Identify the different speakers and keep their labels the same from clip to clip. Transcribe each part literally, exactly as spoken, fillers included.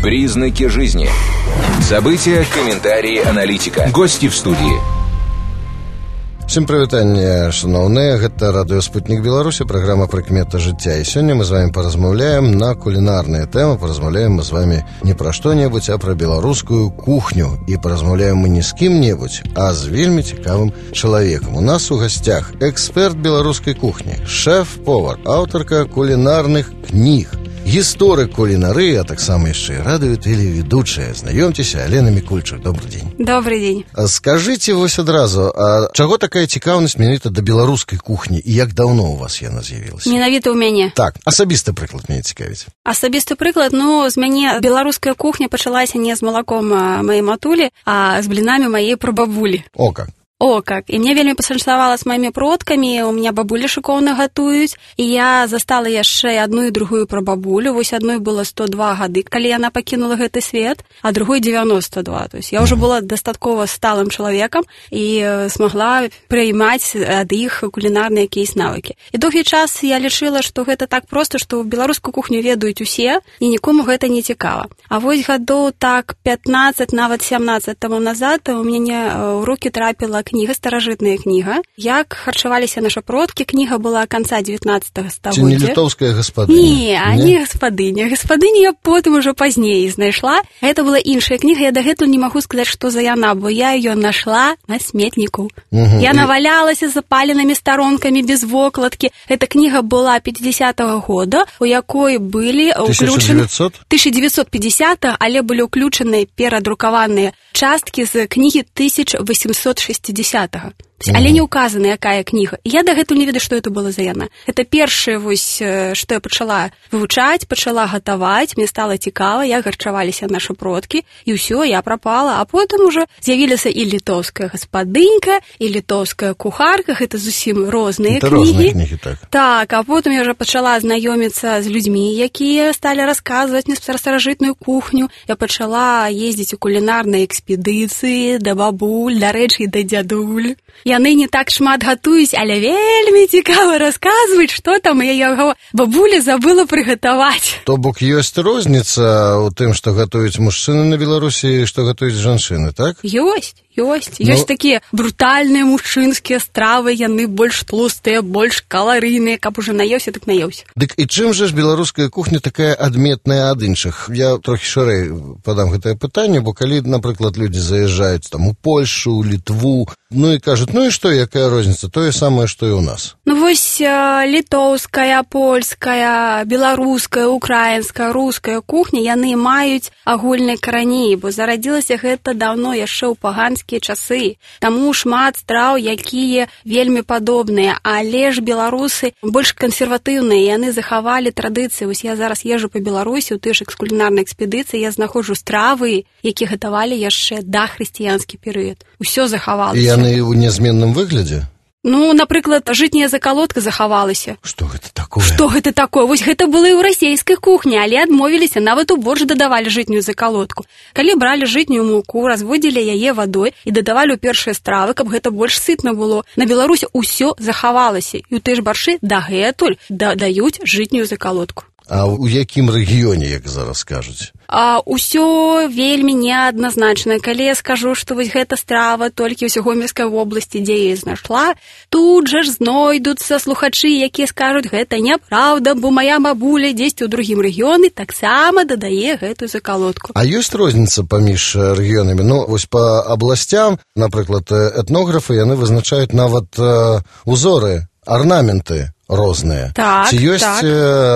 Speaker 1: Признаки жизни. События, комментарии, аналитика. Гости в студии.
Speaker 2: Всем прывітанне, шановныя, гэта радыё «Спутник Беларуси», программа «Прыкметы жыцця». И сегодня мы с вами поразмаўляем на кулинарные темы. Поразмаўляем мы с вами не про что-нибудь, а про белорусскую кухню. И поразмаўляем мы не с кем-нибудь, а с вельмі цікавым человеком. У нас у гостях эксперт белорусской кухни, шеф-повар, авторка кулинарных книг, гісторык кулінарыі, а таксама яшчэ і радыё-тэлеведучая. Знаёмцеся, Алена Мікульчук. Добрый день.
Speaker 3: Добрый день.
Speaker 2: Скажите вось адразу, а чаго такая цікаўнасць менавіта да беларускай кухні і як даўно у вас яна з'явілася?
Speaker 3: Менавіта ў мяне.
Speaker 2: Так, асабісты прыклад мяне цікавіць.
Speaker 3: Асабісты прыклад, ну, з мяне беларуская кухня пачалася не з малаком маёй матулі, а з блінамі маёй прабабулі.
Speaker 2: О, как.
Speaker 3: О, как. І мне вельмі пашанцавала з маімі продкамі, у меня бабулі шыкоўна гатуюць, і я застала яшчэ адну і другую прабабулю. Вось адной было сто два гады, калі яна пакінула гэты свет, а другой девяносто два. То есть я ўжо была дастаткова сталым чалавекам і смагла прыймаць ад іх кулінарныя якісь навыкі. І доўгі час я лічыла, што гэта так проста, што беларускую кухню ведаюць усе, і нікому гэта не цікава. А вось гадоў так пятнаццаць, нават сямнаццаць таму назад у мяне ў рукі трапіла кніга, старажытная кніга. Як харчаваліся нашы продкі. Кніга была канца дзевятнаццатага стагоддзя.
Speaker 2: Ці не літоўская гаспадыня?
Speaker 3: Не, а не гаспадыня. Гаспадыню я потым ужо пазней знайшла. Гэта была іншая кніга. Я дагэтуль не магу сказаць, што за яна, бо я ее нашла на сметніку. Угу. Я навалялася запаленымі старонкамі без вокладкі. Эта кніга была пятидесятого года, у якой былі ўключаны... тысяча девятьсот пятидесятого, але былі ўключаны перадрукаваныя часткі з кнігі тысяча восемьсот шестидесятого. Але не указана, якая кніга. Я дагэтуль не ведаю, што это было за яна. Это першае, вось, што я пачала вывучаць, пачала гатаваць, мне стала цікава, як харчаваліся нашы продкі, і ўсё, я прапала. А потым ужо з'явілася і літоўская гаспадынька, і літоўская кухарка, гэта зусім розныя
Speaker 2: это
Speaker 3: кнігі.
Speaker 2: кнігі так.
Speaker 3: Так, а потым я ўжо пачала знаёміцца з людзьмі, якія сталі расказваць мне пра старажытную кухню. Я пачала ездзіць у кулінарныя экспедыцыі да бабуль, да рэчы, да дзядуль. Яны не так шмат гатуюць, але вельмі цікава расказваюць, што там яго бабуля забыла прыгатаваць.
Speaker 2: То бок ёсць розніца ў тым, што гатуюць мужчыны на Беларусі і што гатуюць жанчыны, так?
Speaker 3: Ёсць. Ёсць. Ёсць ну... такія брутальныя мужчынскія стравы, яны больш тлустыя, больш каларыйныя, каб уже наеўся, так наеўся.
Speaker 2: Дык і чым жа ж беларуская кухня такая адметная ад іншых? Я трохі шырэй падам гэтае пытанне, бо калі, напрыклад, людзі заязджаюць там у Польшу, у Літву, ну і кажуць, ну і што, якая розніца? Тое самае, што і ў нас.
Speaker 3: Ну вось літоўская, польская, беларуская, украінская, руская кухня, яны маюць агульныя карані, бо зарадзілася гэта даўно яшчэ ў паганскія часы. Таму шмат страў, якія вельмі падобныя, але ж беларусы больш кансерватыўныя, яны захавалі традыцыі. Вось я зараз езжу па Беларусі, у тыя ж кулінарнай экспедыцыі, я знаходжу стравы, якія гатавалі яшчэ да хрысціянскі перыяд. Усё захавалася.
Speaker 2: І яны ў нязменным выглядзе?
Speaker 3: Ну, напрыклад, жытняя закалотка захавалася.
Speaker 2: Што гэта такое?
Speaker 3: Што гэта такое? Вось гэта было і ў расейскай кухні, але адмовіліся, нават у боршч дадавалі жытнюю закалотку. Калі бралі жытнюю муку, разводзілі яе вадой і дадавалі ў першыя стравы, каб гэта больш сытна было. На Беларусі ўсё захавалася, і ў тыя ж баршы дагэтуль дадаюць жытнюю закалотку.
Speaker 2: А ў якім рэгіёне, як зараз кажуць?
Speaker 3: А ўсё вельмі неадназначна. Калі я скажу, што вось гэта страва толькі ў Гомельскай вобласці, дзе я знайшла, тут жа ж знойдуцца слухачы, якія скажуць, гэта няправда, бо мая бабуля дзесьці ў другім рэгіёне таксама дадае гэтую закалотку.
Speaker 2: А ёсць розніца паміж рэгіёнамі? Ну, вось па абласцям, напрыклад, этнографы, яны вызначаюць нават э, узоры, арнаменты розныя.
Speaker 3: Так,
Speaker 2: ці ёсць
Speaker 3: так.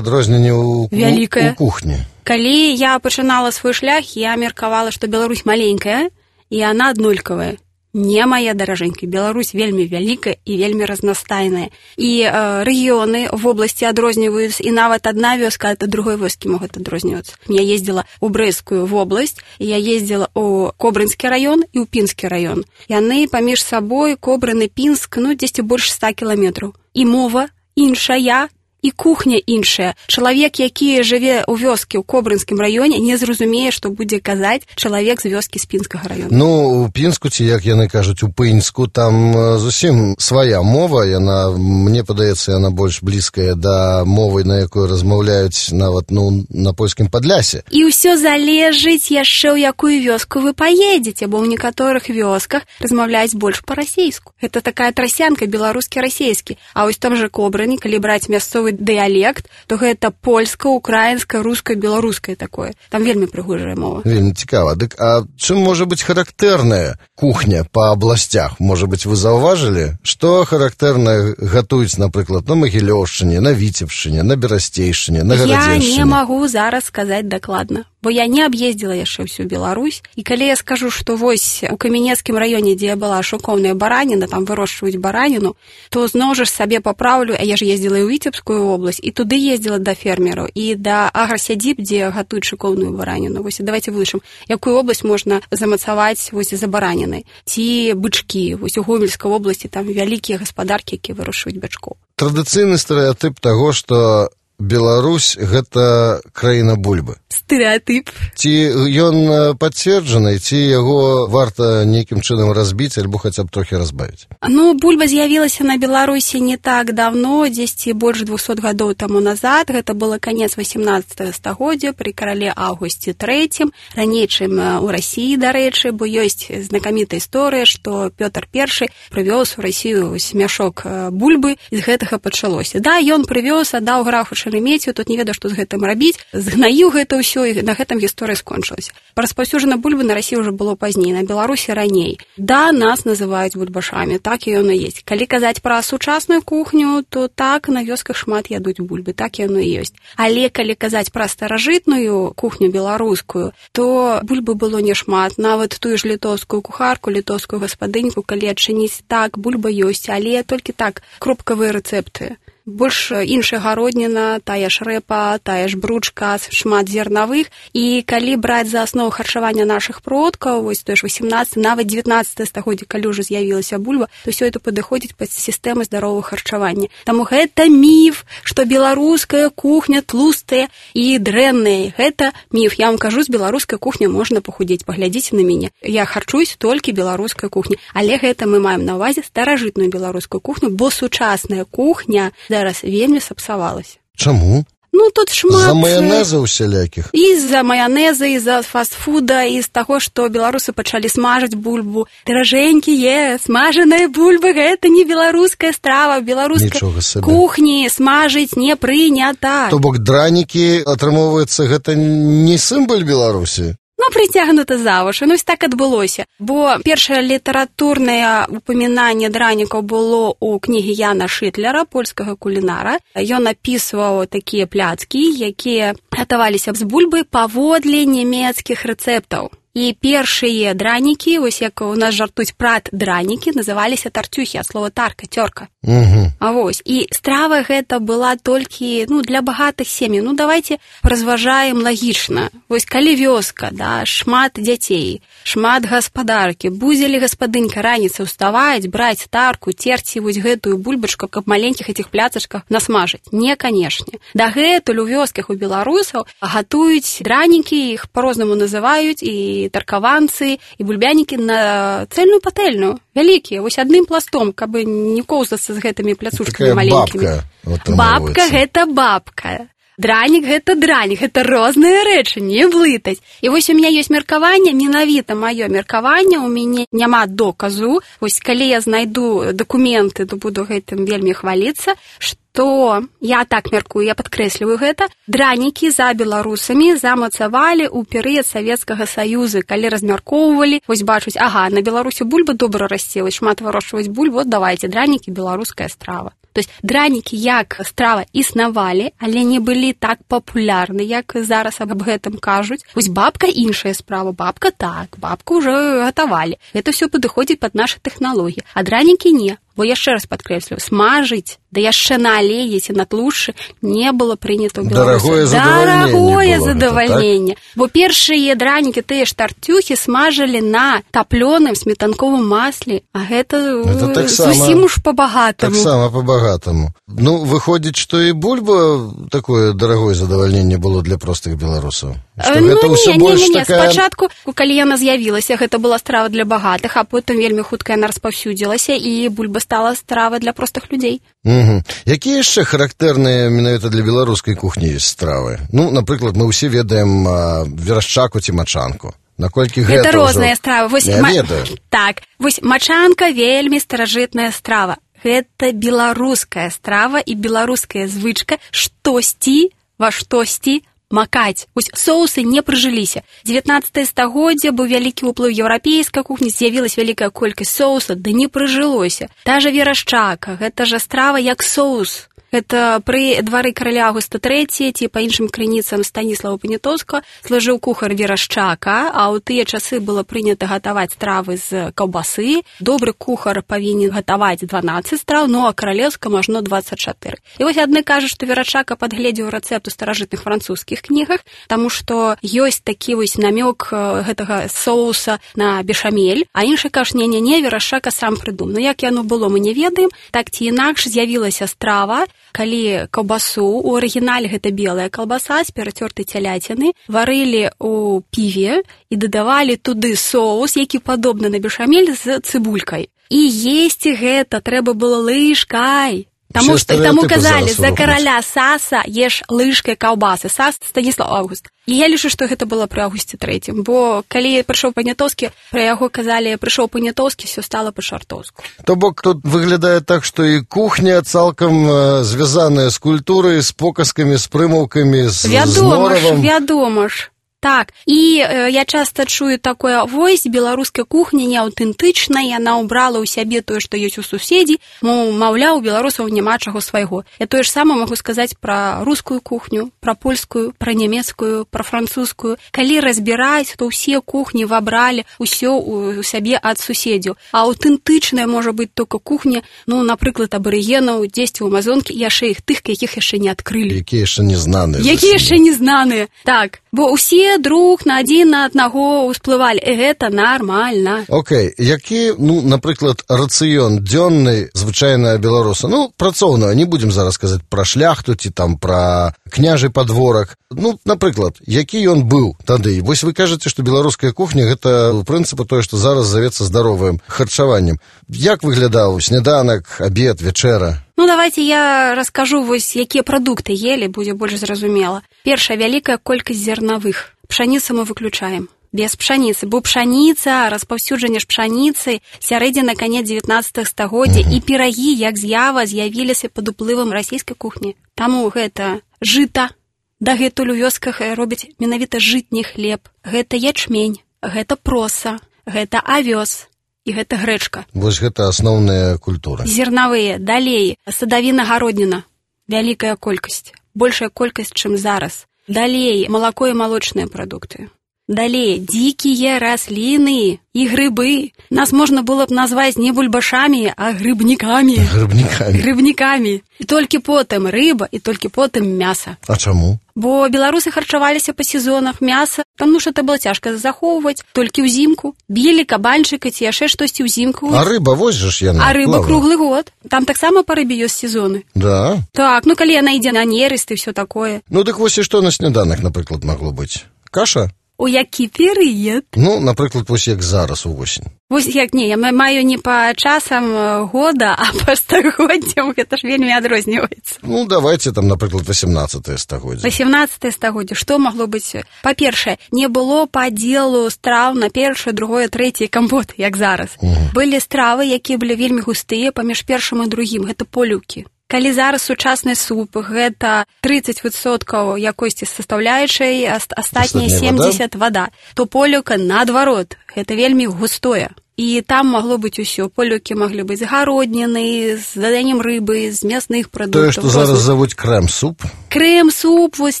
Speaker 2: адрозненне ў, у, у кухні?
Speaker 3: Калі я пачынала свой шлях, я меркавала, што Беларусь маленькая, і яна аднолькавая. Не, моя даражэнька, Беларусь вельмі вялікая і вельмі разнастайная. І э, рэгіёны в обласці адрозніваюцца, і нават адна вёска ад другой вёскі могуць адрознівацца. Я ездзіла ў Брэсцкую вобласць, і я ездзіла ў Кобрынскі раён і ў Пінскі раён. Яны паміж сабой, Кобрын і Пінск, ну, дзесьці больш ста кіламетраў. І мова іншая, і кухня іншая. Чалавек, які жыве ў вёскі ў Кобрынскім раёне, не зразумее, што будзе казаць чалавек з вёскі з Пінскага раёна.
Speaker 2: Ну, у Пінску, ці як яны кажуць, у Пынску, там зусім свая мова, яна, мне падаецца, яна больш блізкая да мовы, на якой размаўляюць нават, ну, на польскім Падлясе.
Speaker 3: І ўсё залежыць яшчэ ў якую вёску вы паедзеце, бо ў некаторых вёсках размаўляюць больш па-расейску. Гэта такая трасянка беларускі-расейскі. А вось там жа Кобрыні, калі браць мясцовы дыялект, то гэта польска, украінска, руска, беларускае такое. Там вельмі прыгожая мова.
Speaker 2: Вельмі цікава. Дык, а чым можа быць характэрная кухня па абласцях? Можа быць, вы заўважылі, што характэрна гатуюць, напрыклад, на Магілёўшчыне, на Віцебшчыне, на Берасцейшчыне, на Гарадзеншчыне?
Speaker 3: Я не магу зараз сказаць дакладна, бо я не аб'ездзіла яшчэ ўсю Беларусь. І калі я скажу, што вось у Камянецкім раёне, дзе я была, шоўкоўная бараніна, там вырошчваюць бараніну, то зноў жа сабе папраўлю, а я ж ездзіла і ў Віцебскую область, і туды ездзіла да фермераў, і да аграсядзіб, дзе гатуюць шоўкоўную бараніну. Вось давайте вылучым, якую область можна замацаваць вось за баранінай. Ці бычкі. Вось у Гомельскай обласці там вялікія гаспадаркі, якія вырошчваюць бычкоў.
Speaker 2: Традыцыйны стэрэатып таго, што Беларусь – гэта краіна бульбы.
Speaker 3: Стэрэатып.
Speaker 2: Ці ён пацверджаны, ці яго варта нейкім чынам разбіць, альбо хаця б трохі разбавіць?
Speaker 3: Ну, бульба з'явілася на Беларусі не так давно, дзесьці больш двухсот гадоў таму назад. Гэта было канец васямнаццатага стагоддзя пры карале Аўгусце трэцім, раней, чым у Расіі, дарэчы, бо ёсць знакамітая історыя, што Пётр Першы прывёз у Расію мяшок бульбы, і з гэтага пачалося. Да, ён прывёз, аддаў графу Шереметьеў, тут не ведаў, што з гэтым рабіць, згнаіў гэта ўсё, і на гэтым гісторыя скончылася. Распаўсюджана бульбы на Расіі ўжо было пазней, на Беларусі раней. Да, нас называюць бульбашамі, так і яно ёсць. Калі казаць пра сучасную кухню, то так, на вёсках шмат ядуць бульбы, так яно і ёсць. Але калі казаць пра старажытную кухню беларускую, то бульбы было не шмат. Нават тую ж літоўскую кухарку, літоўскую гаспадыньку, калі адчыніць, так, бульба ёсць, але толькі так, кропкавыя рэцэпты. Больш іншая гародніна, тая ж рэпа, тая ж бручка, шмат зернавых. І калі браць за аснову харчавання нашых продкаў, вось той ж васямнаццаты, нават дзевятнаццатае стагоддзе, калі ўжо з'явілася бульба, то ўсё это падыходзіць пад сістэму здаровага харчавання. Таму гэта міф, што беларуская кухня тлустая і дрэнная. Гэта міф. Я вам кажу, з беларускай кухні можна пахудзець. Паглядзіце на мяне. Я харчуюсь толькі беларускай кухні. Але гэта мы маем на ўвазе старажытную беларускую кухню, бо сучасная кухня зараз вельмі сапсавалася.
Speaker 2: Чаму?
Speaker 3: Ну, тут шмат...
Speaker 2: За маянеза ўсялякіх?
Speaker 3: І з-за маянеза, і з-за фастфуда, і з таго, што беларусы пачалі смажыць бульбу. Даражэнькія, смажаная бульба, гэта не беларуская страва. Беларускай кухні смажыць не прынята.
Speaker 2: То бок дранікі, атрымоўваецца, гэта не сімвал Беларусі?
Speaker 3: Ну, прыцягнута за вушы. Ну, так адбылося. Бо першае літаратурнае упамінанне дранікаў было ў кнігі Яна Шытлера, польскага кулінара. Ён апісваў такія пляцкі, якія гатаваліся з бульбы паводле нямецкіх рэцэптаў. І першыя дранікі, вось як у нас жартуюць прат дранікі, называліся тартюхі, ад слова тарка, цёрка.
Speaker 2: Угу.
Speaker 3: А вось, і страва гэта была толькі, ну, для багатых сем'яў. Ну, давайте разважаем лагічна. Вось калі вёска, да, шмат дзяцей, шмат гаспадаркі, будзе ли гаспадынька раніцай уставаць, браць тарку, терці вось гэтую бульбачку, каб маленькіх этих пляцачках насмажыць? Не, канешне. Дагэтуль у вёсках у беларусаў гатуюць дранікі, іх по-рознаму называюць, і таркаванцы, і бульбянікі на цэльную патэльную, вялікія, вось адным пластом, каб не коўзацца з гэтымі пляцушкамі маленькімі.
Speaker 2: Бабка,
Speaker 3: бабка гэта бабка. Дранік гэта дранік, гэта розныя рэчы, не блытаць. І вось у мяне ёсць меркаванне, менавіта маё меркаванне, у мяне няма доказу. Вось калі я знайду дакументы, то буду гэтым вельмі хваліцца, што я так мяркую, я падкрэсліваю гэта, дранікі за беларусамі замацавалі ў перыяд Савецкага Саюза, калі размяркоўвалі, вось бачуць, ага, на Беларусі бульба добра расце, вось шмат вырошчваць бульбу, вот давайте, дранікі беларуская страва. То есть дранікі як страва існавалі, але не былі так папулярны, як зараз аб гэтым кажуць. Вось бабка іншая справа, бабка так, бабку ўжо гатавалі. Гэта ўсё падыходзіць пад нашы тэхналогіі, а дранікі не. Бо яшчэ раз падкрэслю, смажыць, да яшчэ на алеі ці на тлушчы не было прынята ў Беларусі.
Speaker 2: Дарагое задавальненне.
Speaker 3: Дарагое
Speaker 2: было
Speaker 3: задавальненне.
Speaker 2: Гэта, так?
Speaker 3: Бо першыя дранікі, тыя ж тартюхі смажылі на таплёным сметанковым масле, а гэта,
Speaker 2: гэта так
Speaker 3: зусім уж па-багатаму.
Speaker 2: Так сама па-багатаму. Ну, выходзіць, што і бульба такое дарагое задавальненне было для простых беларусаў. Што
Speaker 3: ну,
Speaker 2: гэта ўсё
Speaker 3: не,
Speaker 2: больш
Speaker 3: не, не, не.
Speaker 2: такая...
Speaker 3: Спачатку, калі яна з'явілася, гэта была страва для багатых, а потым вельмі хутка яна распаўсюдзілася, і бульба стала стравай для простых людзей.
Speaker 2: Угу. Якія яшчэ характэрныя менавіта для беларускай кухні ёсць стравы? Ну, напрыклад, мы ўсе ведаем а, верашчаку ці мачанку. Наколькі гэта,
Speaker 3: гэта розныя
Speaker 2: ўжо...
Speaker 3: стравы. Вось,
Speaker 2: Я
Speaker 3: ма...
Speaker 2: ведаю.
Speaker 3: Так, вось мачанка вельмі старажытная страва. Гэта беларуская страва і беларуская звычка штосьці ва штосьці макаць. Вось соусы не прыжыліся. дзевятнаццатае стагоддзе быў вялікі ўплыў еўрапейскай кухні, з'явілась вялікая колькасць соуса, да не прыжылося. Та жа верашчака, гэта жа страва як соус. Гэта пры двары караля Аўгуста трэцяга, ці па іншым крыніцам Станіслава Паніатоўскага, служыў кухар верашчака, а ў тыя часы было прынята гатаваць стравы з каўбасы. Добры кухар павінен гатаваць дванаццаць страў, ну а каралеўска можна дваццаць чатыры. І вось адны кажуць, што верашчака падгледзеў рэцэпт у старажытных французскіх кнігах, таму што ёсць такі вось намёк гэтага соуса на бешамель, а іншы кажуць, не-не-не, верашчака сам прыдумаў. Ну як яно было, мы не ведаем. Так ці інакш з'явілася страва, калі каўбасу, у арыгінале гэта белая каўбаса з перацёртай цяляціны, варылі ў піве і дадавалі туды соус, які падобны на бешамель з цыбулькай. І есці гэта трэба было лыжкай. Таму, што, таму казалі, за караля Саса еш лыжкай каўбасы. Сас Станіслав Аўгуст. І я лічу, што гэта было пры Аўгусце трэцім, бо калі прыйшоў Паніатоўскі, пра яго казалі, прыйшоў Паніатоўскі, все стала па-шартоўску.
Speaker 2: То бок тут выглядае так, што і кухня цалкам э, звязаная з культурай, з показкамі, з прымаўкамі, з,
Speaker 3: вядома
Speaker 2: з норавам.
Speaker 3: Ж, вядома ж. Так, і э, я часта чую такое, вось, беларуская кухня неаўтэнтычная, яна ўбрала ў сябе тое, што ёсць у суседзі, маўляў, у беларусаў няма чаго свайго. Я тое ж сама магу сказаць пра рускую кухню, пра польскую, пра нямецкую, пра французскую. Калі разбіраць, то ўсе кухні вабралі ўсё у сябе ад суседзяў. А аўтэнтычная можа быць толькі кухня, ну, напрыклад, абарыгенаў, дзесьці ў Амазонкі, і яшчэ іх тых, якіх яшчэ не адкрылі.
Speaker 2: Якія яшчэ не знаныя.
Speaker 3: Якія яшчэ не знаныя, так. Бо ўсе друг на адзін на аднаго ўсплывалі. І гэта нармальна.
Speaker 2: Окей, які, ну, напрыклад, рацыён дзённы звычайнага беларуса, ну, працоўна, не будзем зараз казаць пра шляхту ці там пра княжы падворак. Ну, напрыклад, які ён быў тады? Вось вы кажаце, што беларуская кухня гэта, у прынцыпе, тое, што зараз завецца здаровым харчаваннем. Як выглядаў сняданак, абед, вячэра?
Speaker 3: Ну, давайте я раскажу, вось, якія прадукты елі, будзе больш зразумела. Першая, вялікая колькасць зернавых. Пшаніцу мы выключаем. Без пшаніцы. Бо пшаніца, распаўсюджанне ж пшаніцы, сярэдзіна канец дзевятнаццатага стагоддзя, і пірагі, як з'ява, з'явіліся пад уплывам расійскай кухні. Таму гэта жыта. Дагэтуль у вёсках робяць менавіта жытні хлеб. Гэта ячмень, гэта проса, гэта авёс. І гэта грэчка.
Speaker 2: Вось гэта асноўная культура.
Speaker 3: Зернавыя, далей, садавіна-гародніна, вялікая колькасць, большая колькасць, чым зараз. Далей, малако і малочныя прадукты. Далей, дзікія расліны і грыбы. Нас можна было б назваць не бульбашамі, а грыбнікамі.
Speaker 2: Грыбнікамі.
Speaker 3: Грыбнікамі. І толькі потым рыба, і толькі потым мяса.
Speaker 2: А чаму?
Speaker 3: Бо беларусы харчаваліся па сезонах мяса, таму што это было цяжка захоўваць, толькі ўзімку. Білі кабанчыка ці яшчэ штосьці ўзімку.
Speaker 2: А рыба, вось жа ж яна.
Speaker 3: А рыба круглы год. Там таксама па рыбе ёсць сезоны.
Speaker 2: Да?
Speaker 3: Так, ну калі яна ідзе на нерест і ўсё такое.
Speaker 2: Ну дык вось і што на сняданак, напрыклад, магло быць? Каша?
Speaker 3: У які перыяд?
Speaker 2: Ну, напрыклад, вось як зараз увосень.
Speaker 3: Вось як не, я маю не па часам года, а па стагоддзям, гэта ж вельмі адрозніваецца.
Speaker 2: Ну, давайте там, напрыклад, васемнаццатае стагоддзе.
Speaker 3: васемнаццатае стагоддзе, што магло быць? Па-першае, не было падзелу страў на першае, другое, трэцяе кампот, як зараз. Угу. Былі стравы, якія былі вельмі густыя паміж першым і другім, гэта полюўкі. Калі зараз сучасны суп, гэта трыццаць адсоткаў якосці састаўляючай, астатнія семдзесят вада, то полюўка наадварот, гэта вельмі густое. І там магло быць усё. Полёкі маглі быць з гародніны, з даданнем рыбы, з мясных прадуктаў.
Speaker 2: Тое, што зараз завуць крэм-суп.
Speaker 3: Крэм-суп, вось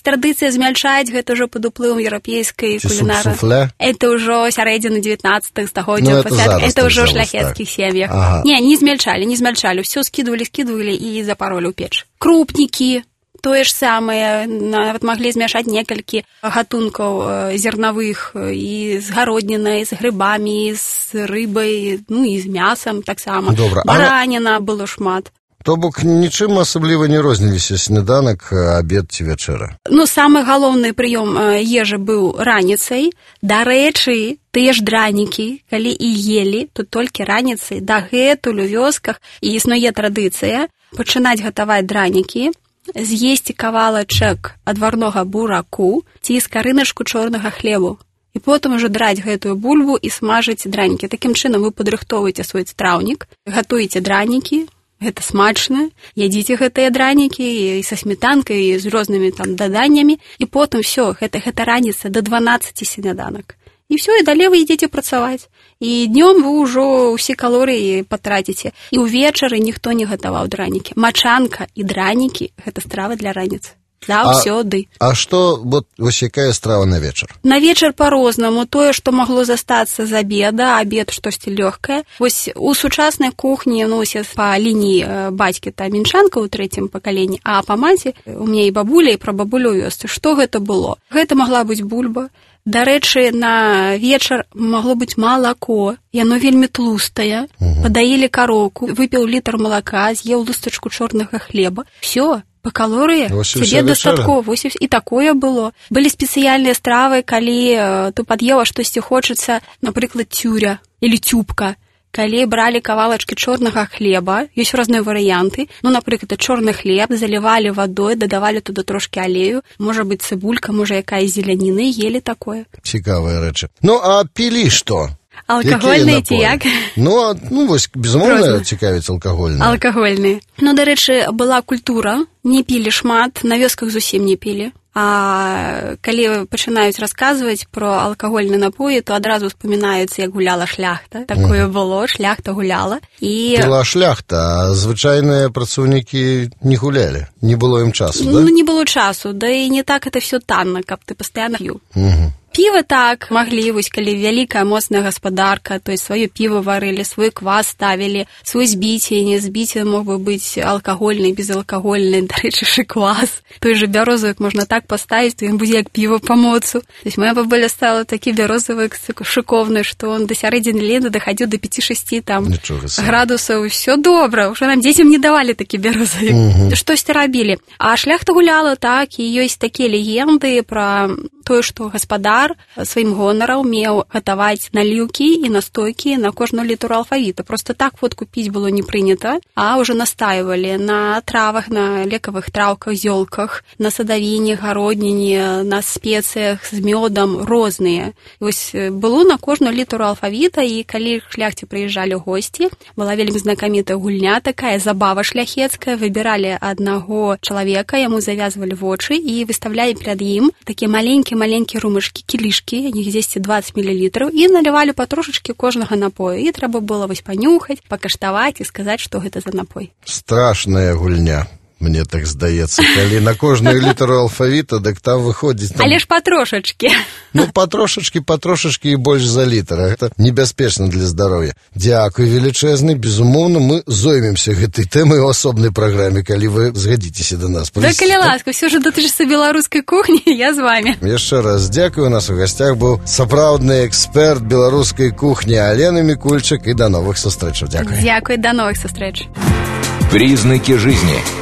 Speaker 3: традыцыя змяльчаць, гэта ўжо пад уплывам еўрапейскай кулінары.
Speaker 2: Суп-суфле?
Speaker 3: Это ўжо сярэдзіна дзевятнаццатага
Speaker 2: Ну,
Speaker 3: стагоддзя.
Speaker 2: это зараз,
Speaker 3: это ўжо ў
Speaker 2: так
Speaker 3: шляхецкіх сем'ях.
Speaker 2: Ага.
Speaker 3: Не, не змяльчалі, не змяльчалі. Усё скідвалі, скідвалі і запаролі ў печ. Крупнікі. Тое ж самае, нават маглі змяшаць некалькі гатункаў зернавых і з гароднінай, з грыбамі, з рыбай, ну і з мясам таксама.
Speaker 2: Добра.
Speaker 3: Бараніна было шмат.
Speaker 2: То бок нічым асабліва не розніліся сняданак, абед ці вячэра.
Speaker 3: Ну, самы галоўны прыём ежы быў раніцай. Дарэчы, тыя ж дранікі, калі і елі, то толькі раніцай. Дагэтуль у вёсках і існуе традыцыя пачынаць гатаваць дранікі, з'есці кавалачак адварнога бураку ці скарыначку чорнага хлебу. І потым ужо драць гэтую бульбу і смажыць дранікі. Такім чынам вы падрыхтоўваеце свой страўнік, гатуеце дранікі, гэта смачна, ядзіце гэтыя дранікі і са сметанкай, і з рознымі там даданнямі, і потым всё, гэта, гэта раніца да дванаццаці сняданак. І ўсё, і далей вы ідзеце працаваць. І днём вы ўжо ўсе калорыі патраціце. І ўвечары ніхто не гатаваў дранікі. Мачанка і дранікі – гэта стравы для раніцы. Заўсёды.
Speaker 2: А, а што, вот, вось якая страва на вечар?
Speaker 3: На вечар па-рознаму. Тое, што магло застацца з абеда, абед штосьці лёгкае. Вось у сучаснай кухні, ну, па лініі бацькі та мінчанка ў трэцім пакаленні, а па маці у мяне і бабуля, і прабабуля ў вёсцы. Што гэта было? Гэта магла быць бульба. Дарэчы, на вечар магло быць малако, яно вельмі тлустае, угу. Падаілі кароўку, выпіў літр малака, з'еў лустачку чорнага хлеба. Всё, па калорыі цябе дастаткова. І такое было. Былі спецыяльныя стравы, калі ты пад'ела штосьці хочацца, напрыклад, цюря или цюбка. Калі бралі кавалачкі чорнага хлеба, ёсць розныя варыянты, ну, напрыклад, чорны хлеб залівалі вадой, дадавалі туды трошкі алею, можа быць цыбулька, можа якая зеляніны, ели такое.
Speaker 2: Цікавыя рэчы. Ну, а пілі што?
Speaker 3: Алкагольныя ці як?
Speaker 2: Ну, ну, вось, безумоўна, цікавіць алкагольныя.
Speaker 3: Алкагольныя. Ну, дарэчы, была культура, не пілі шмат, на вёсках зусім не пілі. А калі пачынаюць расказваць пра алкагольныя напоі, то адразу успамінаюцца, як гуляла шляхта. Такое было, шляхта гуляла. І...
Speaker 2: Была шляхта, а звычайныя працоўнікі не гулялі. Не было ім часу, да?
Speaker 3: Ну, не было часу, да і не так это всё танна, каб ты пастаянна п'ю.
Speaker 2: Угу.
Speaker 3: Піва так маглі, вось калі вялікая моцная гаспадарка, то есть сваё піва варылі, свой квас ставілі, свой збіцень, збіцень мог бы быць алкагольны, безалкагольны, дарэчы, квас. Той же бярозавік можна так паставіць, то ён будзе як піва па моцу. То есть моя бабуля стала такі бярозавік шыковны, што он да сярэдзіны лета дахадзіў до пяці-шасці там градусаў. Всё добра, ўжо нам дзецям не давалі такі бярозавік. Угу. Штосьці рабілі. А шляхта гуляла так, і ёсць такія легенды пра тое, што гаспадар сваім гонарам меў гатаваць наліўкі і настойкі на кожную літару алфавіта. Просто так вот купіць было не прынята, а ўжо настаивалі на травах, на лекавых траўках, зёлках, на садавіне, гародніне, на спецыях з мёдам розныя. І вось было на кожную літару алфавіта, і калі шляхце прыязджалі госці, была вельмі знакамітая гульня такая, забава шляхецкая, выбіралі аднаго чалавека, яму завязвалі вочы і выставлялі перад ім такія маленькія-маленькія румышкі, кілішкі, них дзесьці дваццаць мілілітраў, і налівалі патрошачкі кожнага напою. І трэба было вось панюхаць, пакаштаваць і сказаць, што гэта за напой.
Speaker 2: Страшная гульня. Мне так здаецца, калі на кожную літару алфавіта, дык там выходзіць... Там...
Speaker 3: Але ж патрошачкі.
Speaker 2: Ну, патрошачкі, патрошачкі і больш за літр. Гэта небяспечна для здароўя. Дзякуй велічэзны. Безумоўна, мы зоймемся гэтай тэмай у асобнай праграме, калі вы згадзіцеся да нас.
Speaker 3: Да, калі ласка, ўсё ж датычыцца беларускай кухні, я з вамі.
Speaker 2: Яшчэ раз дзякую. У нас у гасцях быў сапраўдны эксперт беларускай кухні Алена Мікульчык, і да новых сустрэчаў. Дзякуй.
Speaker 3: Дзякуй, да новых сустрэч.
Speaker 1: Признаки жизни.